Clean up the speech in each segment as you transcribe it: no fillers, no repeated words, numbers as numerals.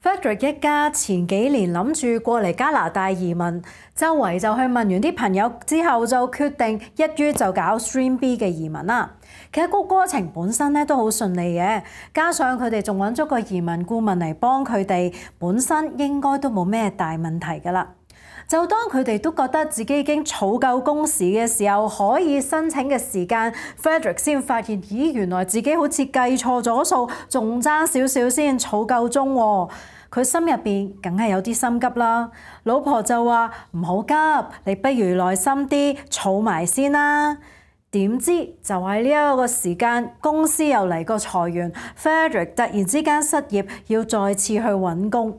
Frederick 一家前幾年諗住過嚟加拿大移民，周圍就去問完啲朋友之後，就決定一於就搞 Stream B 嘅移民啦。其實個過程本身咧都好順利嘅，加上佢哋仲揾咗個移民顧問嚟幫佢哋，本身應該都冇咩大問題㗎啦。就當佢哋都覺得自己已經儲夠工時嘅時候，可以申請嘅時間 ，Frederick 先發現，咦，原來自己好似計錯咗數，仲爭少少先儲夠鐘喎。佢心入邊梗係有啲心急啦。老婆就話：唔好急，你不如耐心啲，儲埋先啦。點知就喺呢一個時間，公司又嚟個裁員 ，Frederick 突然之間失業，要再次去揾工。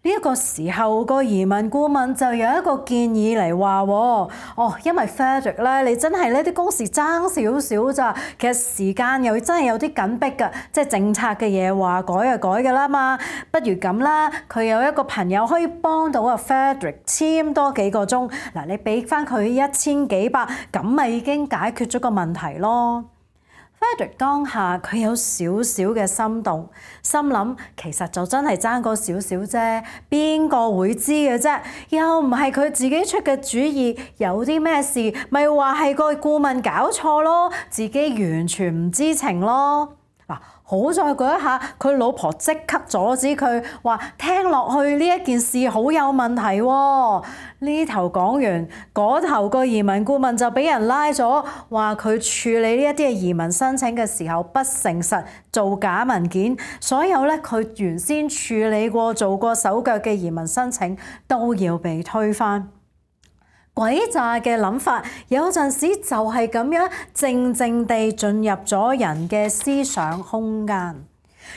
呢一個時候，個移民顧問就有一個建議嚟話：因為 Frederick 咧，你真係呢啲工時爭少少咋，其實時間又真係有啲緊迫㗎，即係政策嘅嘢話改就改㗎啦嘛。不如咁啦，佢有一個朋友可以幫到阿 Frederick 簽多幾個鐘，嗱，你俾翻佢1000幾百，咁咪已經解決咗個問題咯。Frederick 當下佢有少少嘅心動，心諗其實就真係爭嗰少少啫，邊個會知嘅啫？又唔係佢自己出嘅主意，有啲咩事咪話係個顧問搞錯咯，自己完全唔知情咯。嗱，好在嗰一下，佢老婆即刻阻止佢，話聽落去呢一件事好有問題喎。呢頭講完，嗰頭個移民顧問就俾人拉咗，話佢處理呢一啲嘅移民申請嘅時候不誠實，造假文件，所有咧佢原先處理過、做過手腳嘅移民申請都要被推翻。詭詐嘅諗法有陣時就係咁樣靜靜地進入咗人嘅思想空間。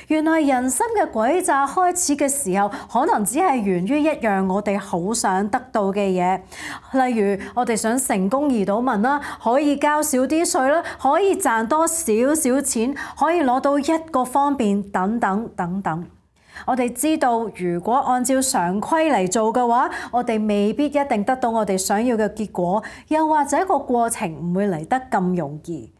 原來人心嘅詭詐開始嘅時候，可能只係源於一樣我哋好想得到嘅嘢，例如我哋想成功移到民啦，可以交少啲稅啦，可以賺多少少錢，可以攞到一個方便等等等等。我哋知道，如果按照常規嚟做嘅話，我哋未必一定得到我哋想要嘅結果，又或者個過程唔會嚟得咁容易。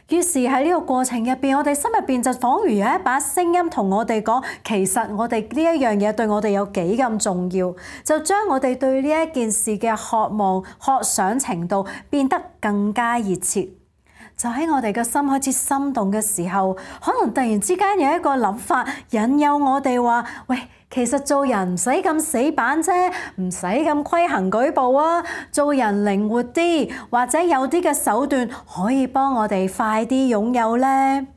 於是喺呢個過程入邊，我哋心入邊就彷如有一把聲音同我哋講，其實我哋呢一樣嘢對我哋有幾咁重要，就將我哋對呢一件事嘅渴望、渴想程度變得更加熱切。就喺我哋嘅心開始心動嘅時候，可能突然之間有一個諗法引誘我哋話：喂，其實做人唔使咁死板啫，唔使咁規行矩步啊，做人靈活啲，或者有啲嘅手段可以幫我哋快啲擁有呢。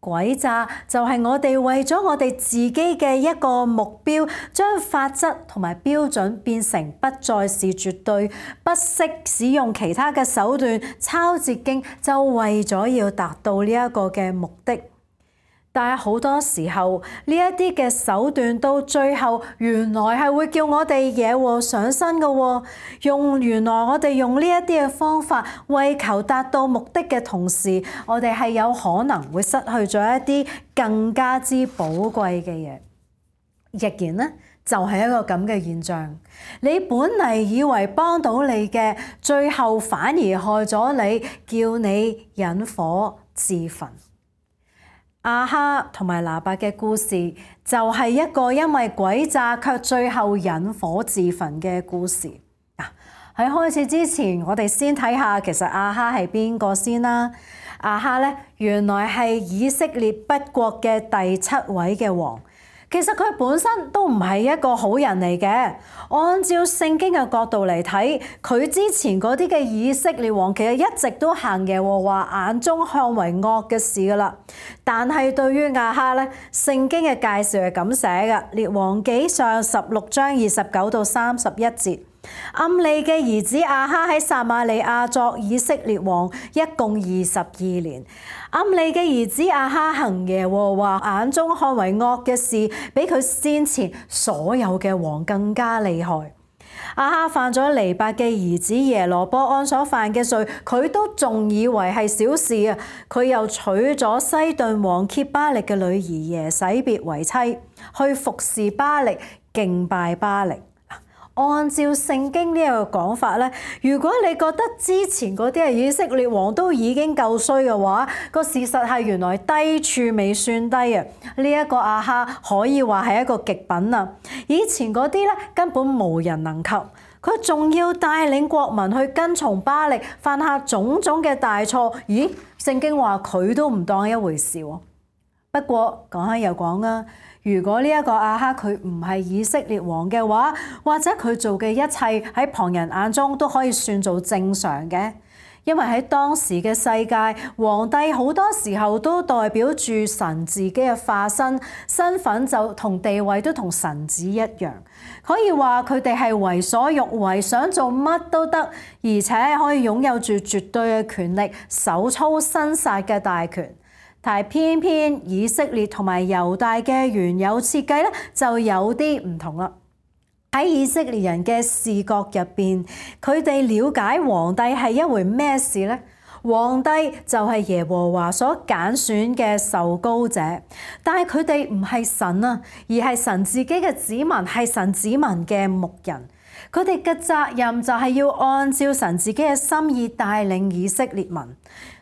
詭詐就係我哋為咗我哋自己嘅一個目標，將法則同埋標準變成不再是絕對，不惜使用其他嘅手段抄捷徑，就為咗要達到呢一個嘅目的。但係好多時候呢一啲嘅手段到最後，原來係會叫我哋惹禍上身嘅喎。原來我哋用呢一啲嘅方法，為求達到目的嘅同時，我哋係有可能會失去咗一啲更加之寶貴嘅嘢。亦然呢，就係一個咁嘅現象。你本嚟以為幫到你嘅，最後反而害咗你，叫你引火自焚。亞哈同埋拿伯嘅故事就係一個因為詭詐卻最後引火自焚嘅故事。喺開始之前，我哋先睇下其實亞哈係邊個先啦。亞哈咧，原來係以色列北國嘅第7位嘅王。其實佢本身都唔係一個好人嚟嘅。按照聖經嘅角度嚟睇，佢之前嗰啲嘅以色列王其實一直都行耶和華眼中看為惡嘅事噶啦。但係對於亞哈咧，聖經嘅介紹係咁寫嘅，《列王紀上》16章29到31節。暗利嘅兒子亞哈喺撒瑪利亞作以色列王，一共22年。暗利嘅兒子亞哈行耶和華眼中看為惡嘅事，比佢先前所有嘅王更加厲害。亞哈犯咗尼伯嘅兒子耶羅波安所犯嘅罪，佢都仲以為係小事啊！佢又娶咗西頓王歇巴力嘅女兒耶洗別為妻，去服侍巴力，敬拜巴力。按照聖經呢一個講法咧，如果你覺得之前嗰啲以色列王都已經夠衰嘅話，個事實係原來低處未算低啊！呢一個亞哈可以話係一個極品啊！以前嗰啲咧根本無人能及，佢仲要帶領國民去跟從巴力，犯下種種嘅大錯。咦？聖經話佢都唔當一回事喎。不過講開又講啊，如果呢一個亞哈佢唔係以色列王嘅話，或者佢做嘅一切喺旁人眼中都可以算做正常嘅，因為喺當時嘅世界，皇帝好多時候都代表住神自己嘅化身，身份就同地位都同神子一樣，可以話佢哋係為所欲為，想做乜都得，而且可以擁有住絕對嘅權力，手操生殺嘅大權。但係偏偏以色列同埋猶大嘅原有設計咧，就有啲唔同啦。喺以色列人嘅視覺入邊，佢哋了解皇帝係一回咩事呢？皇帝就係耶和華所揀選嘅受膏者，但係佢哋唔係神啊，而係神自己嘅子民，係神子民嘅牧人。佢哋嘅責任就係要按照神自己嘅心意帶領以色列民。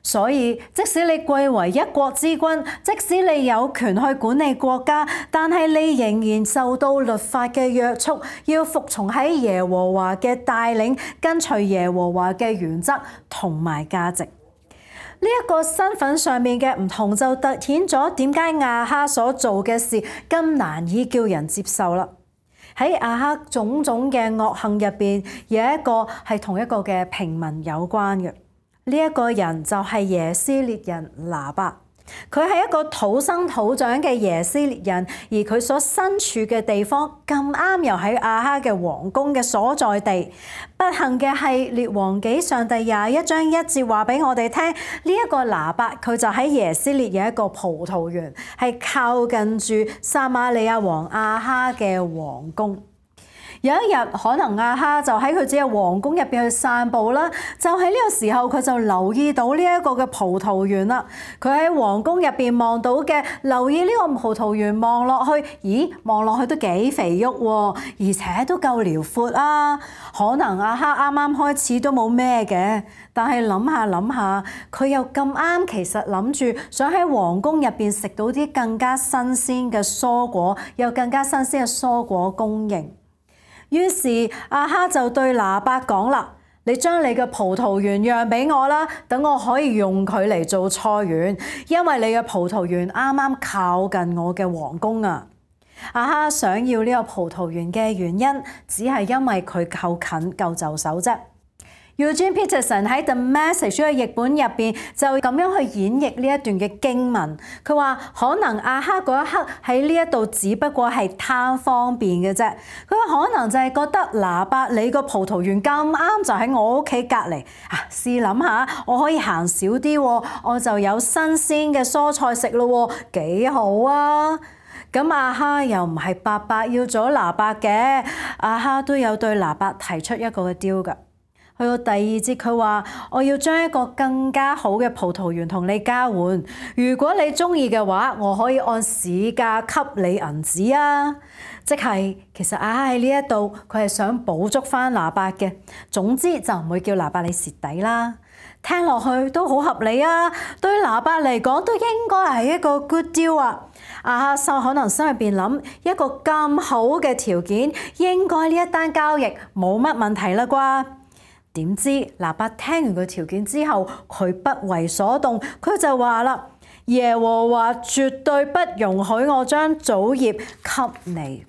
所以即使你貴為一國之君，即使你有權去管理國家，但係你仍然受到律法嘅約束，要服從喺耶和華嘅帶領，跟隨耶和華嘅原則同埋價值。呢一個身份上面嘅唔同，就凸顯咗點解亞哈所做嘅事咁難以叫人接受啦。喺亞哈種種嘅惡行入邊，有一個係同一個嘅平民有關嘅。呢一個人就係耶斯列人拿八，佢係一個土生土長嘅耶斯列人，而佢所身處嘅地方咁啱又喺亞哈嘅皇宮嘅所在地。不幸嘅係列王紀上第21章1節話俾我哋聽，呢一個拿八佢就喺耶斯列有一個葡萄園，係靠近住撒瑪利亞王亞哈嘅皇宮。有一日，可能亞哈就喺佢自己嘅皇宮入邊去散步啦，就喺呢個時候佢就留意到呢一個嘅葡萄園啦。佢喺皇宮入邊望到嘅，留意呢個葡萄園望落去，咦，望落去都幾肥沃喎，而且都夠遼闊啊。可能亞哈啱啱開始都冇咩嘅，但係諗下諗下，佢又咁啱，其實諗住想喺皇宮入邊食到啲更加新鮮嘅蔬果，有更加新鮮嘅蔬果供應。於是亞哈就對拿八講啦：你將你嘅葡萄園讓俾我啦，等我可以用佢嚟做菜園，因為你嘅葡萄園啱啱靠近我嘅皇宮啊！亞哈想要呢個葡萄園嘅原因，只係因為佢夠近夠就手啫。Eugene Peterson 喺 The Message 嘅譯本入邊就咁樣去演繹呢一段嘅經文。佢話可能亞哈嗰一刻喺呢一度只不過係貪方便嘅啫。佢可能就係覺得拿八你個葡萄園咁啱就喺我屋企隔離啊！試諗下，我可以行少啲，我就有新鮮嘅蔬菜食咯，幾好啊！咁亞哈又唔係白白要咗拿八嘅，亞哈都有對拿八提出一個嘅 deal 㗎。去到第2節，佢話：我要將一個更加好嘅葡萄園同你交換。如果你中意嘅話，我可以按市價給你銀子啊！即係其實亞哈喺呢一度，佢係想補足翻拿八嘅。總之就唔會叫拿八你蝕底啦。聽落去都好合理啊！對拿八嚟講都應該係一個 good deal 啊！亞哈可能心入邊諗，一個咁好嘅條件，應該呢一單交易冇乜問題啦啩？點知拿八聽完個條件之後，佢不為所動，佢就話啦：耶和華絕對不容許我將祖業給你。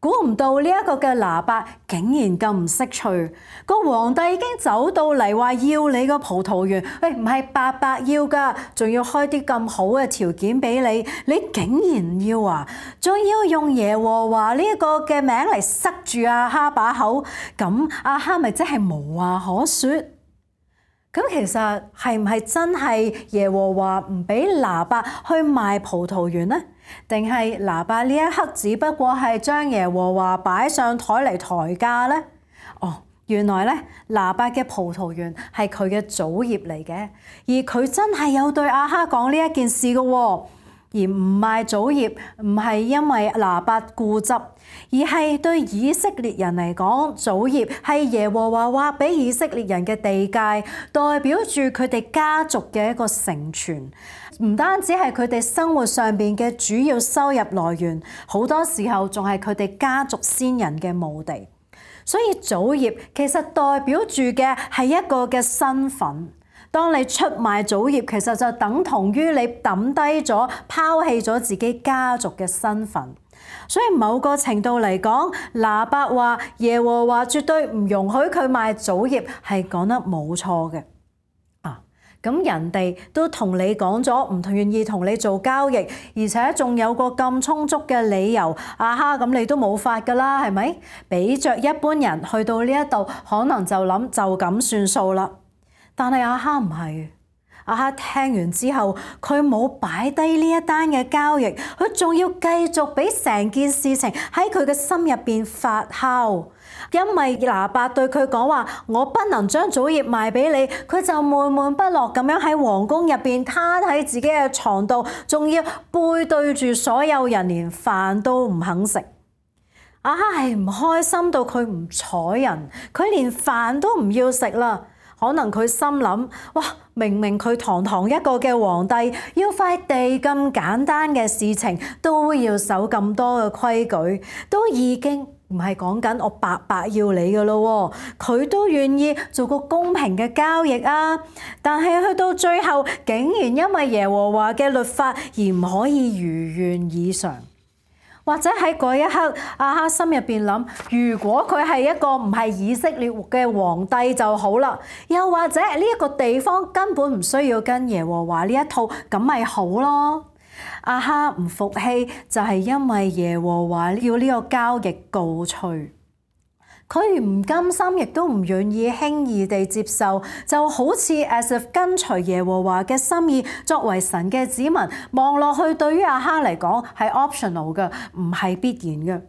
估唔到呢一個嘅拿八竟然咁唔識趣，個皇帝已經走到嚟話要你個葡萄園，喂，唔係白白要㗎，仲要開啲咁好嘅條件俾你，你竟然唔要啊？仲要用耶和華呢一個嘅名嚟塞住亞哈把口，咁亞哈咪即係無話可説？咁其實係唔係真係耶和華唔俾拿八去賣葡萄園呢？定係拿八呢一刻只不過係將耶和華擺上台嚟抬價呢？哦，原來咧拿八嘅葡萄園係佢嘅祖業嚟嘅，而佢真係有對亞哈講呢一件事嘅喎。而唔賣祖業唔係因為拿八固執，而係對以色列人嚟講，祖業係耶和華劃俾以色列人嘅地界，代表住佢哋家族嘅一個承傳。唔單止係佢哋生活上邊嘅主要收入來源，好多時候仲係佢哋家族先人嘅墓地。所以祖業其實代表住嘅係一個嘅身份。當你出賣祖業，其實就等同於你抌低咗、拋棄咗自己家族嘅身份。所以某個程度嚟講，拿八話耶和華絕對唔容許佢賣祖業，係講得冇錯嘅。咁人哋都同你講咗唔願意同你做交易，而且仲有個咁充足嘅理由，亞哈咁你都冇法㗎啦，係咪？比着一般人去到呢一度，可能就諗就咁算數啦。但係亞哈唔係，亞哈聽完之後，佢冇擺低呢一單嘅交易，佢仲要繼續俾成件事情喺佢嘅心入邊發酵。因為拿八對佢講話，我不能將祖業賣俾你，佢就悶悶不樂咁樣喺皇宮入邊攤喺自己嘅床度，仲要背對住所有人，連飯都唔肯食。亞哈係唔開心到佢唔睬人，佢連飯都唔要食啦。可能佢心諗，哇，明明佢堂堂一個嘅皇帝，要塊地咁簡單嘅事情都要守咁多嘅規矩，都已經唔係講緊我白白要你㗎咯，佢都願意做個公平嘅交易啊！但係去到最後，竟然因為耶和華嘅律法而唔可以如願以償。或者喺嗰一刻，亞哈心入邊諗：如果佢係一個唔係以色列嘅皇帝就好啦。又或者呢一個地方根本唔需要跟耶和華呢一套，咁咪好咯。亞哈唔服氣，就係因為耶和華要呢個交易告吹。佢唔甘心，亦都唔願意輕易地接受，就好似 as if 跟隨耶和華嘅心意，作為神嘅子民，望落去對於亞哈嚟講係 optional 嘅，唔係必然嘅。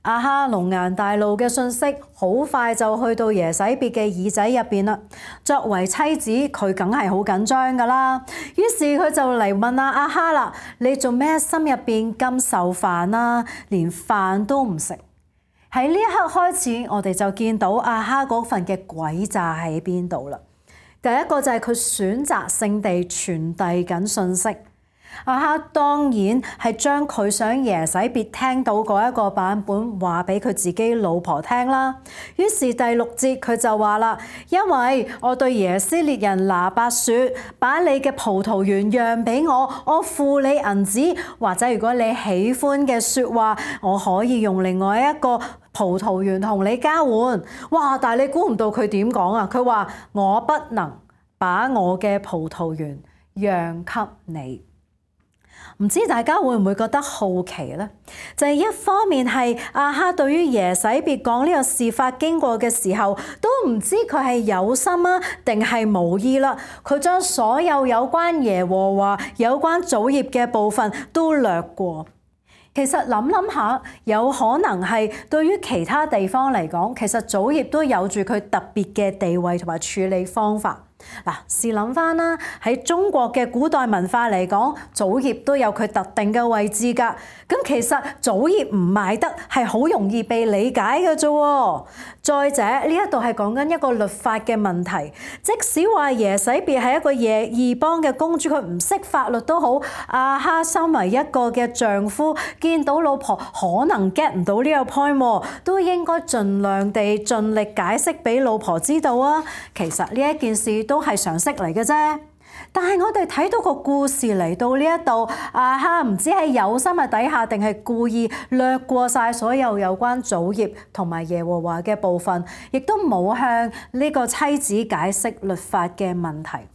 亞哈龍顏大怒嘅信息好快就去到耶洗別嘅耳仔入邊啦。作為妻子，佢梗係好緊張噶啦。於是佢就嚟問亞哈啦：你做咩心入邊咁受煩啊？連飯都唔食。喺呢一刻開始，我哋就見到亞哈嗰份嘅詭詐喺邊度啦。第一個就係佢選擇性地傳遞緊信息。亞哈當然係將佢想耶洗別聽到嗰一個版本話俾佢自己老婆聽啦。於是第6節佢就話啦：因為我對耶斯列人拿八説，把你嘅葡萄園讓俾我，我付你銀子，或者如果你喜歡嘅説話，我可以用另外一個葡萄園同你交換。哇！但係你估唔到佢點講啊？佢話我不能把我嘅葡萄園讓給你。唔知大家會唔會覺得好奇呢？就係一方面係亞哈對於耶洗別講呢個事發經過嘅時候，都唔知佢係有心啊定係無意啦。佢將所有有關耶和華、有關祖業嘅部分都略過。其實諗諗下，有可能係對於其他地方嚟講，其實祖業都有住佢特別嘅地位同埋處理方法。嗱，試諗翻啦，喺中國嘅古代文化嚟講，祖業都有佢特定嘅位置㗎。咁其實祖業唔賣得係好容易被理解嘅啫。再者，呢一度係講緊一個律法嘅問題。即使話耶洗別係一個異邦嘅公主，佢唔識法律都好，亞哈身為一個嘅丈夫，見到老婆可能 get 唔到呢個 point， 都應該盡量地盡力解釋俾老婆知道啊。其實呢一件事都係常識嚟嘅啫。但係我哋睇到個故事嚟到呢一度，亞哈唔知係有心嘅底下，定係故意略過晒所有有關祖業同埋耶和華嘅部分，亦都冇向呢個妻子解釋律法嘅問題。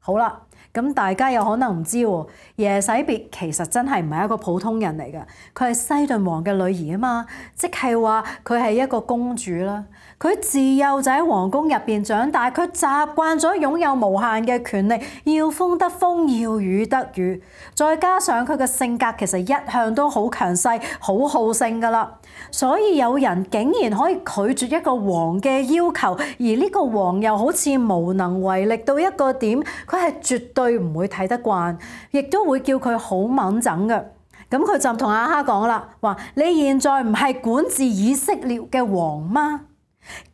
好啦，咁大家有可能唔知喎，耶洗別其實真係唔係一個普通人嚟嘅，佢係西頓王嘅女兒啊嘛，即係話佢係一個公主啦。佢自幼就喺皇宮入邊長大，佢習慣咗擁有無限嘅權力，要風得風，要雨得雨。再加上佢嘅性格其實一向都好強勢、好好勝㗎啦，所以有人竟然可以拒絕一個王嘅要求，而呢個王又好似無能為力到一個點，佢係絕對對唔會睇得慣，亦都會叫佢好掹整嘅。咁佢就同亞哈講啦，話你現在唔係管治以色列嘅王嗎？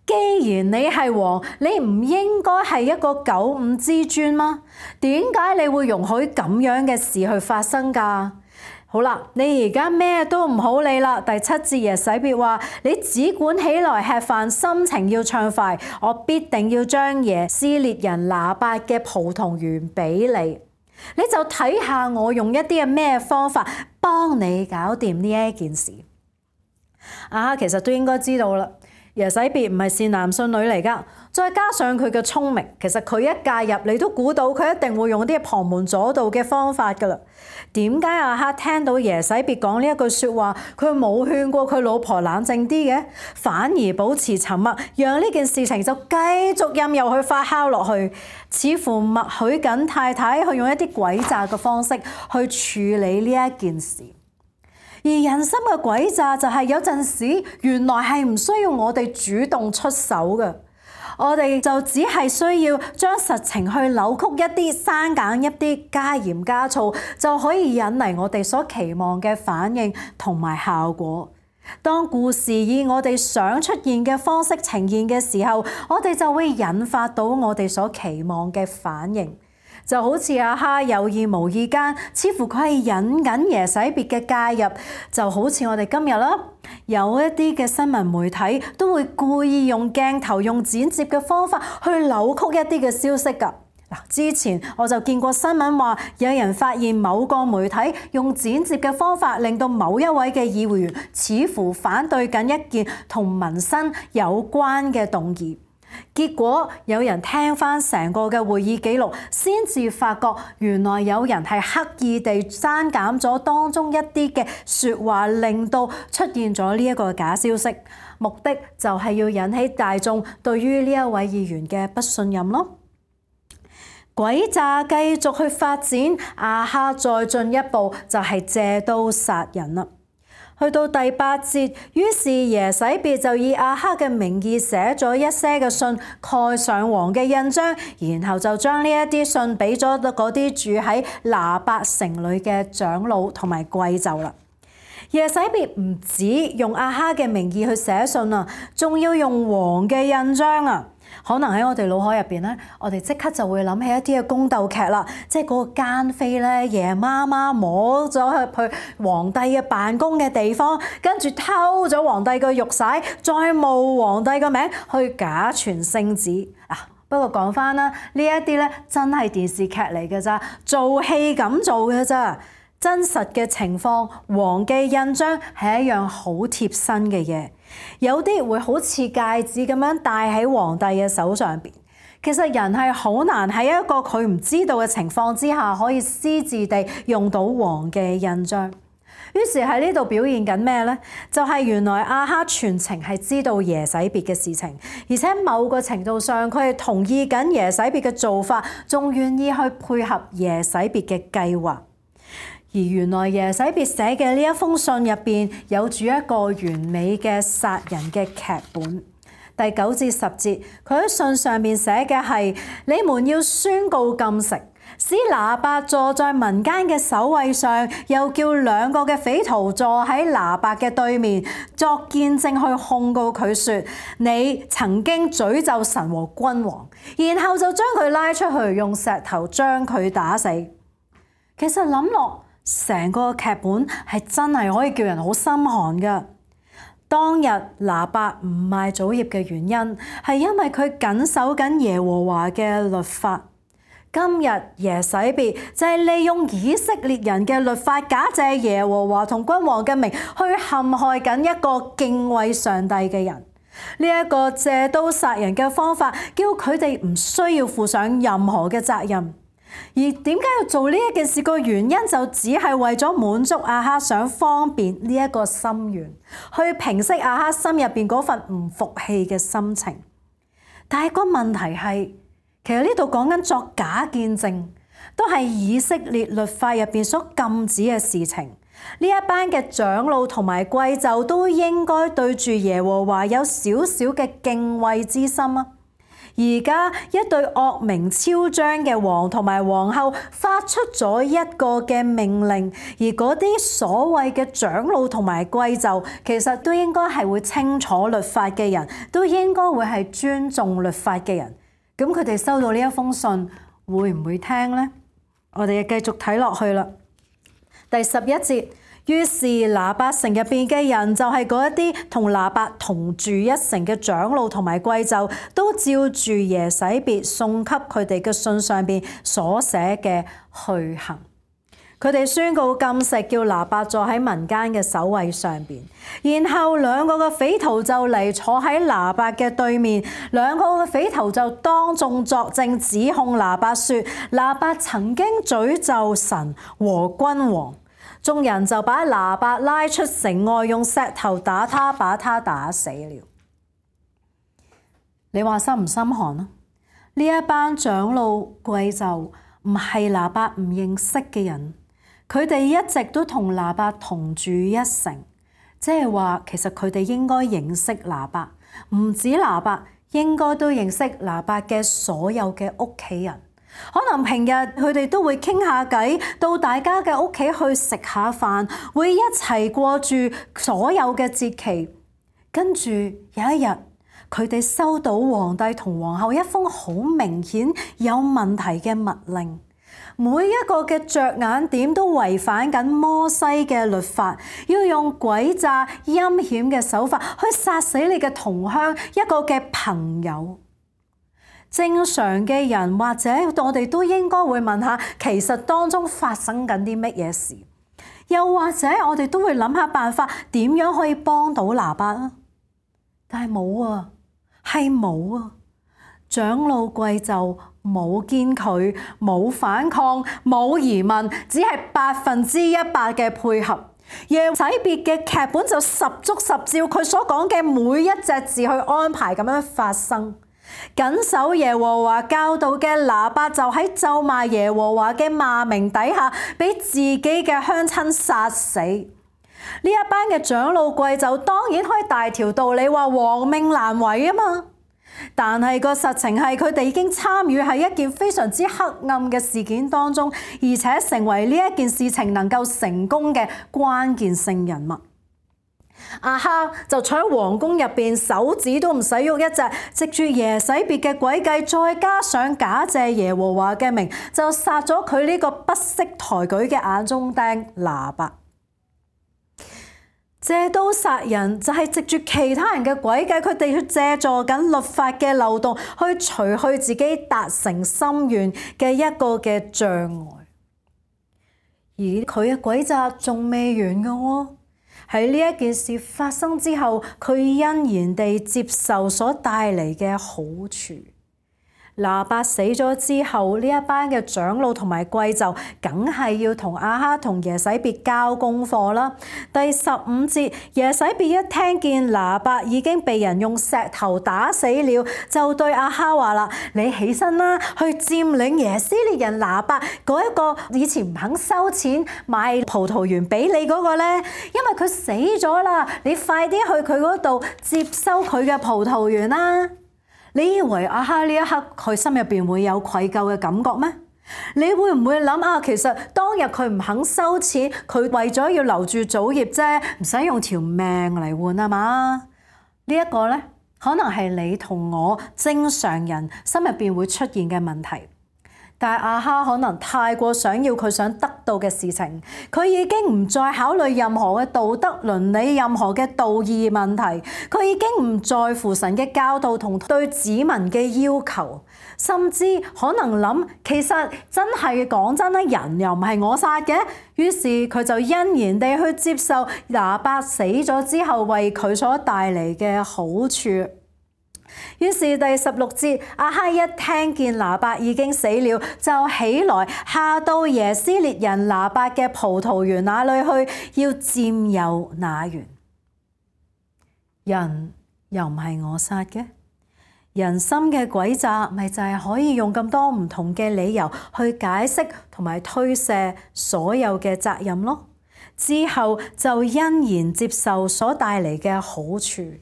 既然你係王，你唔應該係一個九五之尊嗎？點解你會容許咁樣嘅事去發生㗎？好啦，你而家咩都唔好理啦。第7節耶洗別話：你只管起來吃飯，心情要暢快，我必定要將耶斯列人拿八嘅葡萄園俾你。你就睇下我用一啲嘅咩方法幫你搞掂呢一件事。亞哈其實都應該知道啦。耶洗別唔係善男信女嚟㗎，再加上佢嘅聰明，其實佢一介入，你都估到佢一定會用啲旁門左道嘅方法㗎啦。點解亞哈聽到耶洗別講呢一句説話，佢冇勸過佢老婆冷靜啲嘅，反而保持沉默，讓呢件事情就繼續任由佢發酵落去，似乎默許緊太太去用一啲詭詐嘅方式去處理呢一件事。而人心嘅詭詐就係有陣時原來係唔需要我哋主動出手嘅，我哋就只係需要將實情去扭曲一啲、刪減一啲、加鹽加醋，就可以引嚟我哋所期望嘅反應同埋效果。當故事以我哋想出現嘅方式呈現嘅時候，我哋就會引發到我哋所期望嘅反應。就好似亞哈有意無意間，似乎佢係引緊耶洗別嘅介入，就好似我哋今日啦，有一啲嘅新聞媒體都會故意用鏡頭、用剪接嘅方法去扭曲一啲嘅消息㗎。之前我就見過新聞話，有人發現某個媒體用剪接嘅方法，令到某一位嘅議會員似乎反對緊一件同民生有關嘅動議。結果有人聽翻成個嘅會議記錄，先至發覺原來有人係刻意地刪減咗當中一啲嘅説話，令到出現咗呢一個假消息，目的就係要引起大眾對於呢一位議員嘅不信任咯。詭詐繼續去發展，亞哈再進一步就係借刀殺人啦。去到第8節，於是耶洗別就以亞哈嘅名義寫咗一些嘅信，蓋上王嘅印章，然後就將呢一啲信俾咗嗰啲住喺拿八城裏嘅長老同埋貴胄啦。耶洗別唔止用亞哈嘅名義去寫信啊，仲要用王嘅印章啊！可能喺我哋腦海入邊咧，我哋即刻就會諗起一啲嘅宮鬥劇啦，即係嗰個奸妃咧，夜媽媽摸咗去皇帝嘅辦公嘅地方，跟住偷咗皇帝嘅玉璽，再冒皇帝嘅名去假傳聖旨。不過講翻啦，呢一啲咧真係電視劇嚟嘅咋，做戲咁做嘅咋。真實嘅情況，王嘅印章係一樣好貼身嘅嘢，有啲會好似戒指咁樣戴喺皇帝嘅手上邊。其實人係好難喺一個佢唔知道嘅情況之下，可以私自地用到王嘅印章。於是喺呢度表現緊咩呢？就係原來亞哈全程係知道耶洗別嘅事情，而且某個程度上佢係同意緊耶洗別嘅做法，仲願意去配合耶洗別嘅計劃。而原來耶洗別寫嘅呢一封信入邊有住一個完美嘅殺人嘅劇本。第9至10節，佢喺信上面寫嘅係：你們要宣告禁食，使拿八坐在民間嘅首位上，又叫2個嘅匪徒坐喺拿八嘅對面，作見證去控告佢說：你曾經詛咒神和君王，然後就將佢拉出去，用石頭將佢打死。其實諗落，成個劇本係真係可以叫人好心寒㗎。當日拿八唔賣棗葉嘅原因係因為佢緊守緊耶和華嘅律法。今日耶洗別就係利用以色列人嘅律法，假借耶和華同君王嘅名去陷害緊一個敬畏上帝嘅人。呢一個借刀殺人嘅方法，叫佢哋唔需要負上任何嘅責任。而點解要做呢一件事？個原因就只係為咗滿足亞哈想方便呢一個心願，去平息亞哈心入邊嗰份唔服氣嘅心情。但係個問題係，其實呢度講緊作假見證，都係以色列律法入邊所禁止嘅事情。呢一班嘅長老同埋貴胄都應該對住耶和華有少少嘅敬畏之心啊！而家一對惡名昭彰嘅王同埋皇后發出咗一個嘅命令，而嗰啲所謂嘅長老同埋貴胄，其實都應該係會清楚律法嘅人，都應該會係尊重律法嘅人。咁佢哋收到呢一封信，會唔會聽呢？我哋繼續睇落去啦。第11節，於是拿八城入邊嘅人，就係嗰一啲同拿八同住一城嘅長老同埋貴胄，都照住耶洗別送給佢哋嘅信上邊所寫嘅去行。佢哋宣告禁食，叫拿八坐喺民間嘅首位上邊，然後兩個嘅匪徒就嚟坐喺拿八嘅對面，兩個嘅匪徒就當眾作證，指控拿八說拿八曾經詛咒神和君王。眾人就把拿八拉出城外，用石頭打他，把他打死了。你話心唔心寒啊？呢一班長老貴胄唔係拿八唔認識嘅人。佢哋一直都同拿八同住一城，即係話其實佢哋應該認識拿八，唔止拿八，應該都認識拿八嘅所有嘅屋企人。可能平日佢哋都會傾下偈，到大家嘅屋企去食下飯，會一齊過住所有嘅節期。跟住有一日，佢哋收到皇帝同皇后一封好明顯有問題嘅密令。每一個嘅着眼點都違反緊摩西嘅律法，要用詭詐陰險嘅手法去殺死你嘅同鄉，一個嘅朋友。正常嘅人或者我哋都應該會問下，其實當中發生緊啲乜嘢事？又或者我哋都會諗下辦法，點樣可以幫到拿八啊？但係冇啊，係冇啊！長老貴胄冇堅拒，冇反抗，冇疑問，只係100%嘅配合。耶洗別嘅劇本就十足十照佢所講嘅每一隻字去安排咁樣發生。謹守耶和華教導嘅拿八就喺咒罵耶和華嘅罵名底下，俾自己嘅鄉親殺死。呢一班嘅長老貴胄當然可以大條道理話王命難違啊嘛。但係個實情係佢哋已經參與喺一件非常之黑暗嘅事件當中，而且成為呢一件事情能夠成功嘅關鍵性人物。亞哈就坐喺皇宮入邊，手指都唔使喐一隻，藉住耶洗別嘅詭計，再加上假借耶和華嘅名，就殺咗佢呢個不識抬舉嘅眼中釘拿八。借刀殺人就係藉住其他人嘅詭計，佢哋去借助緊律法嘅漏洞，去除去自己達成心願嘅一個嘅障礙。而佢嘅詭詐仲未完㗎喎。喺呢一件事發生之後，佢欣然地接受所帶嚟嘅好處。拿八死咗之後，呢一班嘅長老同埋貴胄梗係要同亞哈同耶洗別交功課啦。第15節，耶洗別一聽見拿八已經被人用石頭打死了，就對亞哈話啦：你起身啦，去佔領耶斯列人拿八嗰一個以前唔肯收錢買葡萄園俾你嗰個咧，因為佢死咗啦，你快啲去佢嗰度接收佢嘅葡萄園啦。你以為亞哈呢一刻佢心入邊會有愧疚嘅感覺咩？你會唔會諗啊？其實當日佢唔肯收錢，佢為咗要留住祖業啫，唔使用條命嚟換啊嘛？呢一個咧，可能係你同我正常人心入邊會出現嘅問題。但係亞哈可能太過想要佢想得到嘅事情，佢已經唔再考慮任何嘅道德倫理、任何嘅道義問題，佢已經唔在乎神嘅教導同對子民嘅要求，甚至可能諗其實真係講真啦，人又唔係我殺嘅，於是佢就欣然地去接受拿八死咗之後為佢所帶嚟嘅好處。於是第16節，亞哈一聽見拿八已經死了，就起來下到耶斯列人拿八嘅葡萄園那裏去，要佔有那園。人又唔係我殺嘅，人心嘅詭詐咪就係可以用咁多唔同嘅理由去解釋同埋推卸所有嘅責任咯。之後就欣然接受所帶嚟嘅好處。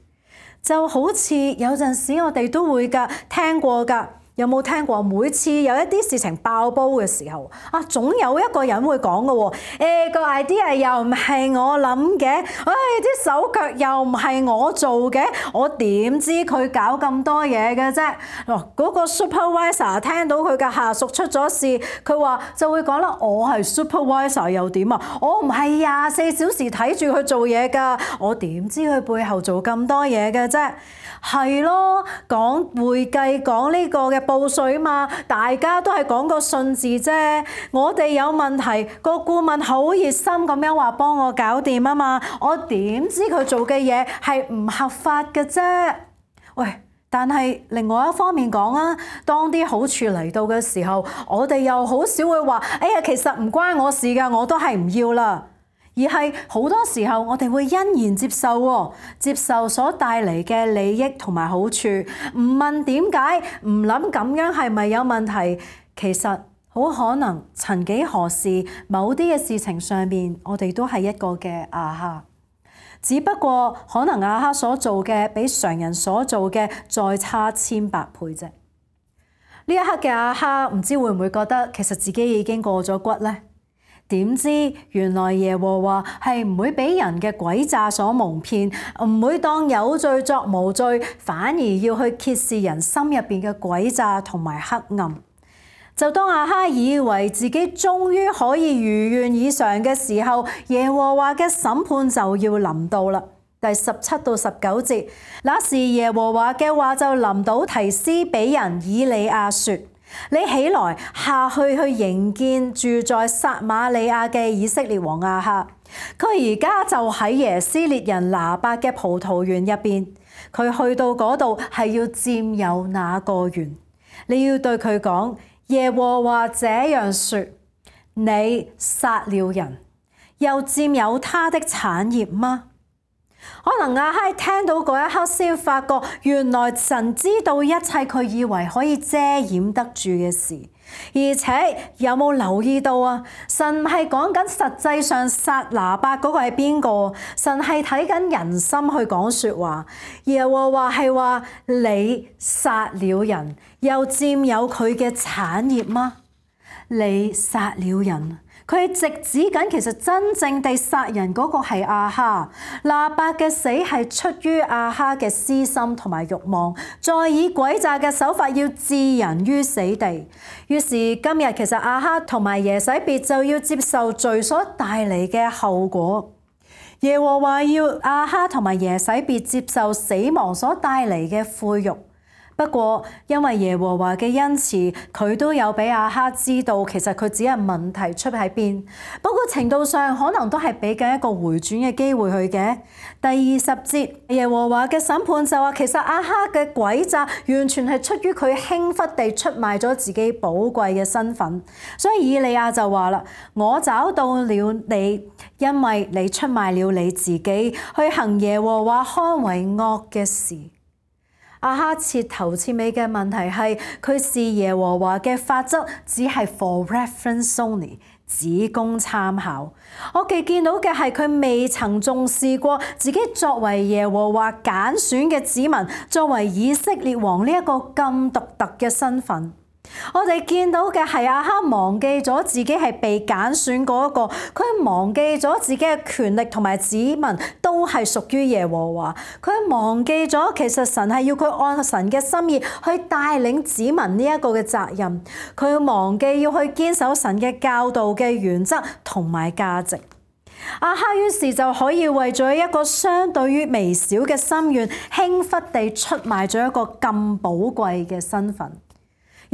就好似有陣時我哋都會㗎，聽過㗎。有冇聽過？每次有一啲事情爆煲嘅時候，總有一個人會講嘅喎。個 idea 又唔係我諗嘅，啲手腳又唔係我做嘅，我點知佢搞咁多嘢嘅啫？嗰個 supervisor 聽到佢嘅下屬出咗事，佢話就會講啦：我係 supervisor 又點啊？我唔係24小時睇住佢做嘢㗎，我點知佢背後做咁多嘢嘅啫？係咯，講會計講呢個嘅報稅嘛，大家都係講個信字啫。我哋有問題，個顧問好熱心咁樣話幫我搞掂啊嘛，我點知佢做嘅嘢係唔合法嘅啫？喂，但係另外一方面講啊，當啲好處嚟到嘅時候，我哋又好少會話：哎呀，其實唔關我事㗎，我都係唔要啦。而係好多時候，我哋會欣然接受喎，接受所帶嚟嘅利益同埋好處，唔問點解，唔諗咁樣係咪有問題。其實好可能曾幾何時，某啲嘅事情上面，我哋都係一個嘅亞哈，只不過可能亞哈所做嘅比常人所做嘅再差千百倍啫。呢一刻嘅亞哈唔知會唔會覺得其實自己已經過咗骨呢？點知原來耶和華係唔會俾人嘅詭詐所蒙騙，唔會當有罪作無罪，反而要去揭示人心入邊嘅詭詐同埋黑暗。就當亞哈以為自己終於可以如願以償嘅時候，耶和華嘅審判就要臨到啦。第17到19節，那時耶和華嘅話就臨到提斯比人以利亞說：你起來下去迎見住在撒瑪利亞嘅以色列王亞哈，佢而家就喺耶斯列人拿八嘅葡萄園入邊，佢去到嗰度係要佔有那個園。你要對佢講：耶和華這樣說，你殺了人，又佔有他的產業嗎？可能亞哈聽到嗰一刻先發覺，原來神知道一切佢以為可以遮掩得住嘅事，而且有冇留意到啊？神唔係講緊實際上殺拿八嗰個係邊個？神係睇緊人心去講說話。耶和華係話：你殺了人，又佔有佢嘅產業嗎？你殺了人。佢係直指緊，其實真正地殺人嗰個係亞哈。拿八嘅死係出於亞哈嘅私心同埋慾望，再以詭詐嘅手法要置人於死地。於是今日其實亞哈同埋耶洗別就要接受罪所帶嚟嘅後果。耶和華要亞哈同埋耶洗別接受死亡所帶嚟嘅悔辱。不過，因為耶和華嘅恩慈，佢都有俾亞哈知道，其實佢只係問題出喺邊。不過程度上，可能都係俾緊一個回轉嘅機會佢嘅。第20節，耶和華嘅審判就話，其實亞哈嘅詭詐完全係出於佢輕忽地出賣咗自己寶貴嘅身份。所以以利亞就話啦：我找到了你，因為你出賣了你自己，去行耶和華看為惡嘅事。亞哈徹頭徹尾嘅問題係，佢視耶和華嘅法則只係 for reference only， 只供參考。我哋見到嘅係佢未曾重視過自己作為耶和華揀選嘅子民，作為以色列王呢一個咁獨特嘅身份。我哋見到嘅係亞哈忘記咗自己係被揀選嗰一個，佢忘記咗自己嘅權力同埋子民都係屬於耶和華，佢忘記咗其實神係要佢按神嘅心意去帶領子民呢一個嘅責任，佢忘記要去堅守神嘅教導嘅原則同埋價值。亞哈於是就可以為咗一個相對於微小嘅心願，輕忽地出賣咗一個咁寶貴嘅身份。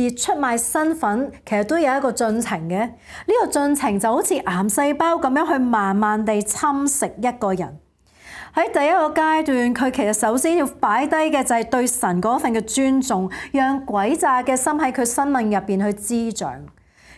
而出賣身份其實都有一個進程嘅，呢個進程就好似癌細胞咁樣去慢慢地侵蝕一個人。喺第一個階段，佢其實首先要擺低嘅就係對神嗰份嘅尊重，讓詭詐嘅心喺佢生命入邊去滋長。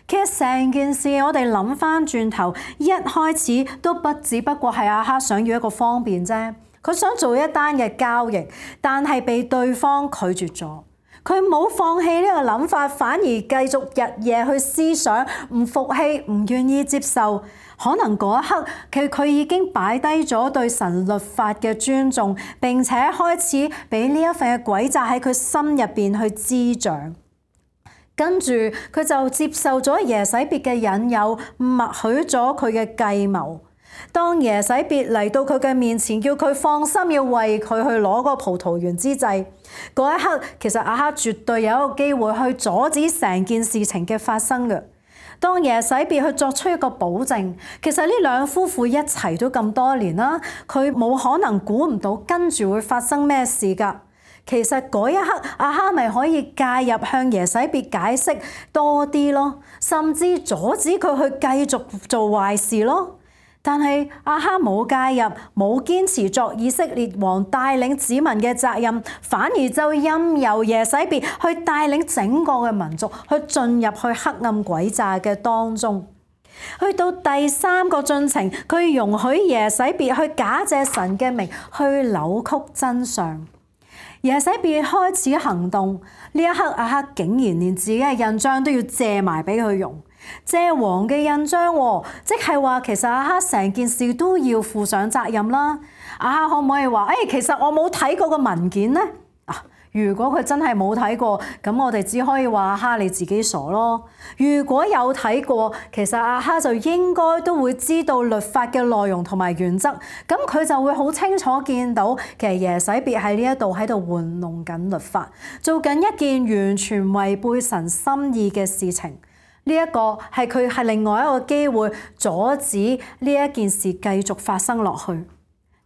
其實成件事我哋諗翻轉頭，一開始都不只不過係亞哈想要一個方便啫，佢想做一單嘅交易，但係被對方拒絕咗。佢冇放棄呢個諗法，反而繼續日夜去思想，唔服氣，唔願意接受。可能嗰一刻佢已經擺低咗對神律法嘅尊重，並且開始俾呢一份嘅詭詐喺佢心入邊去滋長。跟住佢就接受咗耶洗別嘅引誘，默許咗佢嘅計謀。當耶洗別嚟到佢嘅面前，叫佢放心要為佢去攞個葡萄園之際，嗰一刻其實亞哈絕對有一個機會去阻止成件事情嘅發生嘅。當耶洗別去作出一個保證，其實呢兩夫婦一齊都咁多年啦，佢冇可能估唔到跟住會發生咩事㗎。其實嗰一刻亞哈咪可以介入向耶洗別解釋多啲咯，甚至阻止佢去繼續做壞事咯。但係亞哈冇介入，冇堅持作以色列王帶領子民嘅責任，反而就任由耶洗別去帶領整個嘅民族去進入去黑暗詭詐嘅當中。去到第三個進程，佢容許耶洗別去假借神嘅名去扭曲真相。耶洗別開始行動，呢一刻亞哈竟然連自己嘅印章都要借埋俾佢用，借王嘅印章，即係話其實亞哈成件事都要負上責任啦。亞哈可唔可以話其實我冇睇過個文件呢？如果佢真係冇睇過，咁我哋只可以話亞哈你自己傻咯。如果有睇過，其實亞哈就應該都會知道律法嘅內容同埋原則，咁佢就會好清楚見到其實耶洗別喺呢一度喺度玩弄緊律法，做緊一件完全違背神心意嘅事情。呢一個係佢係另外一個機會阻止呢一件事繼續發生落去。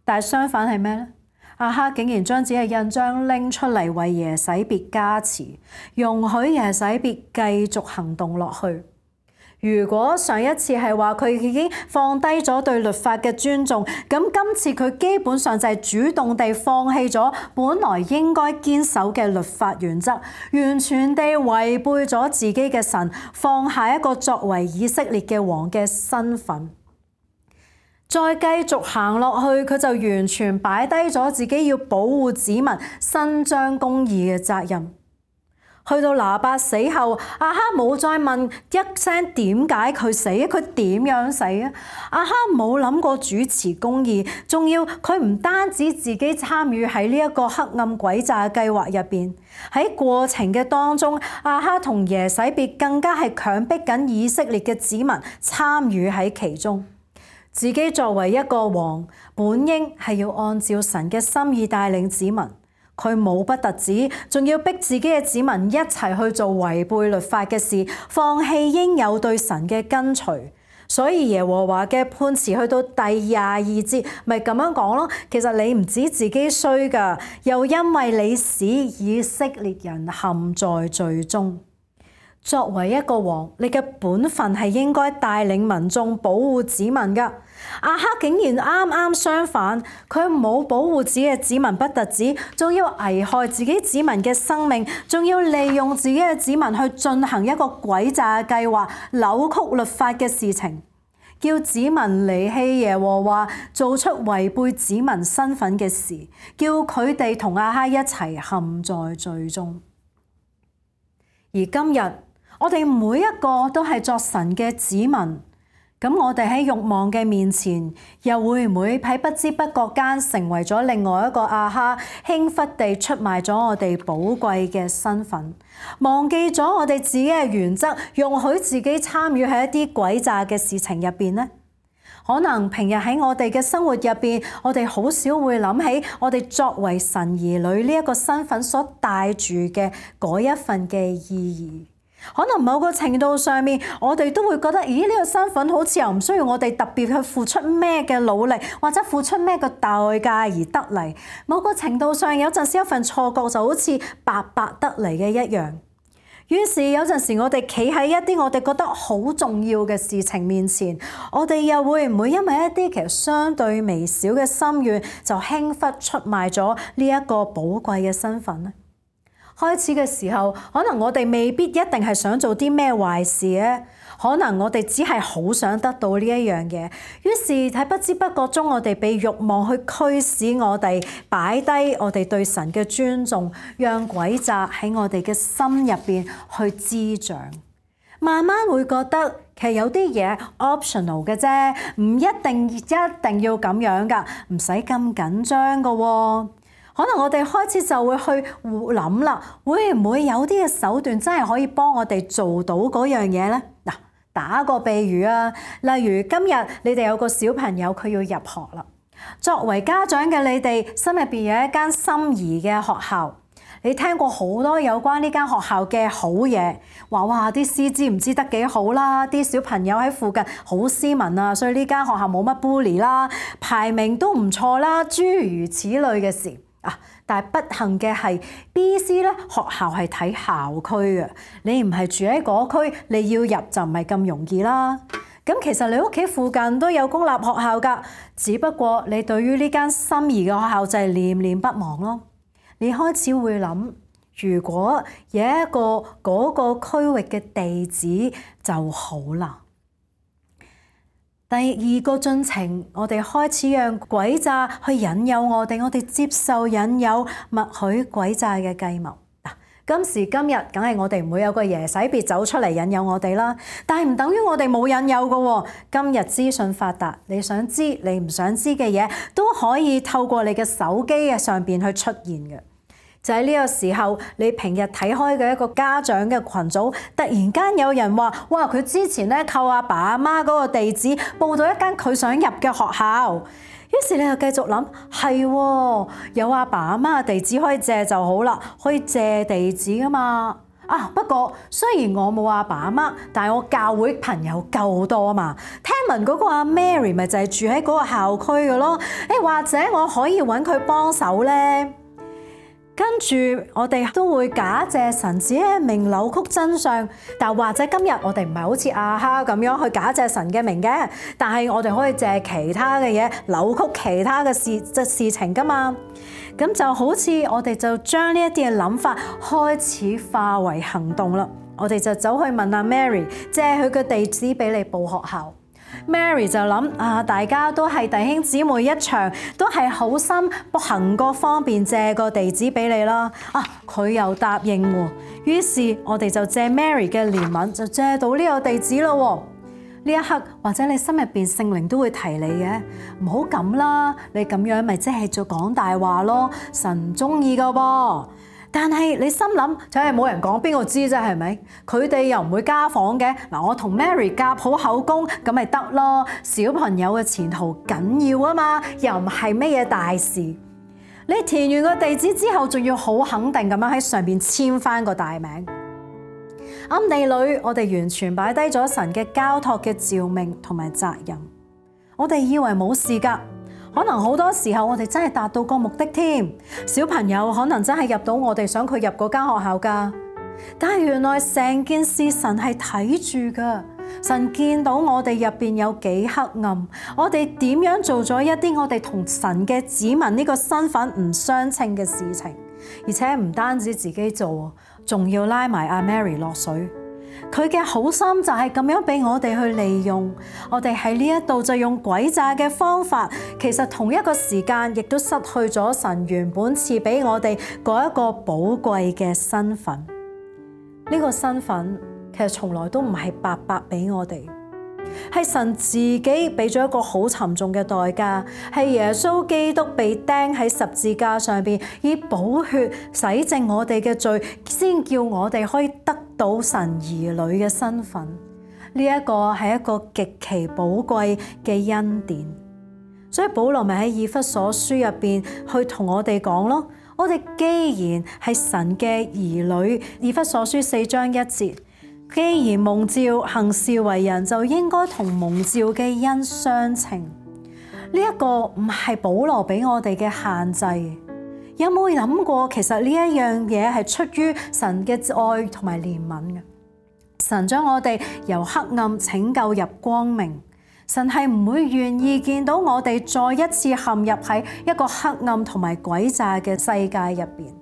但係相反係咩呢？亞哈竟然將自己嘅印章拎出嚟為耶洗別加持，容許耶洗別繼續行動落去。如果上一次係話佢已經放低咗對律法嘅尊重，咁今次佢基本上就係主動地放棄咗本來應該堅守嘅律法原則，完全地違背咗自己嘅神，放下一個作為以色列嘅王嘅身份。再繼續行落去，佢就完全擺低咗自己要保護子民、伸張公義嘅責任。去到拿八死後，亞哈冇再問一聲點解佢死，佢點樣死啊？亞哈冇諗過主持公義，仲要佢唔單止自己參與喺呢一個黑暗詭詐計劃入邊，喺過程嘅當中，亞哈同耶洗別更加係強迫緊以色列嘅子民參與喺其中。自己作為一個王，本應係要按照神嘅心意帶領子民，佢冇不特止，仲要逼自己嘅子民一齊去做違背律法嘅事，放棄應有對神嘅跟隨。所以耶和華嘅判詞去到第22節，咪咁樣講咯。其實你唔止自己衰㗎，又因為你使以色列人陷在罪中。作為一個王，你嘅本分係應該帶領民眾保護子民㗎。亞哈竟然啱啱相反，佢冇保護自己嘅子民不特止，仲要危害自己子民嘅生命，仲要利用自己嘅子民去進行一個詭詐嘅計劃，扭曲律法嘅事情，叫子民離棄耶和華，做出違背子民身份嘅事，叫佢哋同亞哈一齊陷在罪中。而今日我哋每一個都係作神嘅子民，咁我哋喺慾望嘅面前，又會唔會喺不知不覺間成為咗另外一個亞哈，輕忽地出賣咗我哋寶貴嘅身份，忘記咗我哋自己嘅原則，容許自己參與喺一啲詭詐嘅事情入邊呢？可能平日喺我哋嘅生活入邊，我哋好少會諗起我哋作為神兒女呢一個身份所帶住嘅嗰一份嘅意義。可能某個程度上面，我哋都會覺得，咦，呢個身份好似又唔需要我哋特別去付出咩嘅努力，或者付出咩嘅代價而得嚟。某個程度上，有陣時一份錯覺就好似白白得嚟嘅一樣。於是有陣時我哋企喺一啲我哋覺得好重要嘅事情面前，我哋又會唔會因為一啲其實相對微小嘅心願，就輕忽出賣咗呢一個寶貴嘅身份呢？開始嘅時候，可能我哋未必一定係想做啲咩壞事咧，可能我哋只係好想得到呢一樣嘢。於是喺不知不覺中，我哋被慾望去驅使我哋擺低我哋對神嘅尊重，讓詭詐喺我哋嘅心入邊去滋長。慢慢會覺得其實有啲嘢 optional 嘅啫，唔一定要咁樣㗎，唔使咁緊張㗎喎。可能我哋開始就會去諗啦，會唔會有啲嘅手段真係可以幫我哋做到嗰樣嘢呢？嗱，打個比喻啊，例如今日你哋有個小朋友佢要入學啦，作為家長嘅你哋心入邊有一間心儀嘅學校，你聽過好多有關呢間學校嘅好嘢，話哇啲師資唔知得幾好啦，啲小朋友喺附近好斯文啊，所以呢間學校冇乜 bully 啦，排名都唔錯啦，諸如此類嘅事。但係不幸嘅係 BC 咧，學校係睇校區嘅，你唔係住喺嗰區，你要入就唔係咁容易啦。咁其實你屋企附近都有公立學校㗎，只不過你對於呢間心儀嘅學校就係念念不忘咯。你開始會諗，如果有一個嗰個區域嘅地址就好啦。第二個進程，我哋開始讓詭詐去引誘我哋接受引誘，默許詭詐嘅計謀。今時今日，梗係我哋唔會有個耶洗別走出嚟引誘我哋啦。但係唔等於我哋冇引誘㗎喎。今日資訊發達，你想知你唔想知嘅嘢，都可以透過你嘅手機嘅上邊去出現嘅。就喺呢個時候，你平日睇開嘅一個家長嘅群組，突然間有人話：哇！佢之前咧靠阿爸阿媽嗰個地址報到一間佢想入嘅學校。於是你就繼續諗，係喎，有阿爸阿媽嘅地址可以借就好啦，可以借地址㗎嘛。不過雖然我冇阿爸阿媽，但係我教會朋友夠多啊嘛。聽聞嗰個阿 Mary 咪就係住喺嗰個校區嘅咯。或者我可以揾佢幫手咧。跟住我哋都會假借神子嘅名扭曲真相，但或者今日我哋唔係好似亞哈咁樣去假借神嘅名嘅，但係我哋可以借其他嘅嘢扭曲其他嘅事情㗎嘛。咁就好似我哋就將呢一啲嘅諗法開始化為行動啦。我哋就走去問阿 Mary 借佢嘅地址俾你報學校。Mary 就諗大家都係弟兄姊妹一場，都係好心行個方便借個地址俾你啦。佢又答應喎，於是我哋就借 Mary 嘅憐憫，就借到呢個地址咯。呢一刻或者你心入邊聖靈都會提你嘅，唔好咁啦，你咁樣咪即係做講大話咯，神唔中意噶噃。但係你心諗就係冇人講，邊個知啫？係咪？佢哋又唔會家訪嘅。我同 Mary 夾好口供，咁咪得咯。小朋友嘅前途緊要啊嘛，又唔係咩嘢大事。你填完個地址之後，仲要好肯定咁樣喺上邊簽翻個大名。暗地裏，我哋完全擺低咗神嘅交託嘅召命同埋責任。我哋以為冇事㗎。可能好多時候我哋真係達到個目的添，小朋友可能真係入到我哋想佢入嗰間學校㗎。但係原來成件事神係睇住㗎，神見到我哋入邊有幾黑暗，我哋點樣做咗一啲我哋同神嘅子民呢個身份唔相稱嘅事情，而且唔單止自己做，仲要拉埋阿 Mary 落水。佢嘅好心就係咁樣俾我哋去利用，我哋喺呢一度就用詭詐嘅方法，其實同一個時間亦都失去咗神原本賜俾我哋嗰一個寶貴嘅身份。呢個身份其實從來都唔係白白俾我哋，係神自己俾咗一個好沉重嘅代價，係耶穌基督被釘喺十字架上邊，以寶血洗淨我哋嘅罪，先叫我哋可以得到神兒女嘅身份。呢一個係一個極其寶貴嘅恩典。所以保羅咪喺以弗所書入邊去同我哋講咯，我哋既然係神嘅兒女，以弗所書4章1節，既然蒙召行事為人，就應該同蒙召嘅恩相稱。呢一個唔係保羅俾我哋嘅限制。有冇諗過其實呢一樣嘢係出於神嘅愛同埋憐憫嘅？神將我哋由黑暗拯救入光明，神係唔會願意見到我哋再一次陷入喺一個黑暗同埋詭詐嘅世界入邊。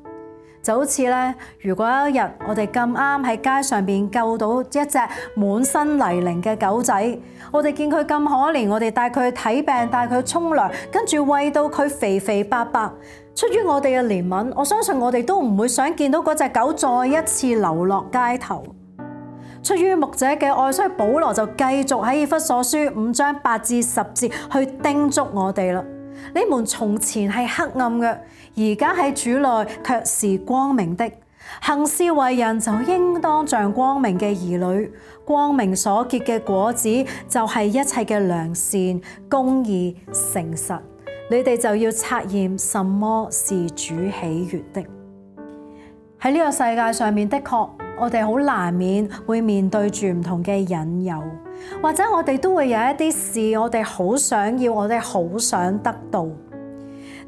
就好似咧，如果有一日我哋咁啱喺街上邊救到一隻滿身泥濘嘅狗仔，我哋見佢咁可憐，我哋帶佢去睇病，帶佢去沖涼，跟住餵到佢肥肥白白。出於我哋嘅憐憫，我相信我哋都唔會想見到嗰隻狗再一次流落街頭。出於牧者嘅愛，所以保羅就繼續喺以弗所書5章8至10節去叮囑我哋啦。你們從前係黑暗嘅，而家喺主內卻是光明的。行事為人就應當像光明嘅兒女，光明所結嘅果子就係一切嘅良善、公義、誠實。你哋就要察驗什麼是主喜悅的。喺呢個世界上面，的確我哋好難免會面對住唔同嘅引誘，或者我哋都會有一啲事我哋好想要，我哋好想得到。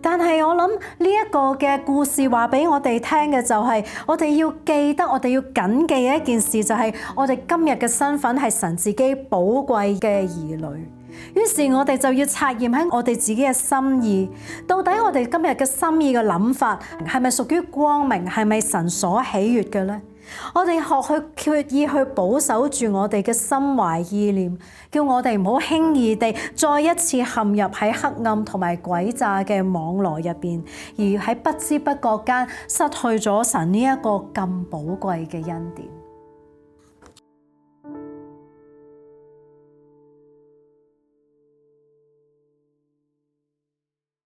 但係我諗呢一個嘅故事話俾我哋聽嘅就係，我哋要記得，我哋要謹記嘅一件事就係，我哋今日嘅身份係神自己寶貴嘅兒女。於是我哋就要察驗喺我哋自己嘅心意，到底我哋今日嘅心意嘅諗法係咪屬於光明，係咪神所喜悅嘅呢？我哋學去決意去保守住我哋嘅心懷意念，叫我哋唔好輕易地再一次陷入喺黑暗同埋詭詐嘅網羅入邊，而喺不知不覺間失去咗神呢一個咁寶貴嘅恩典。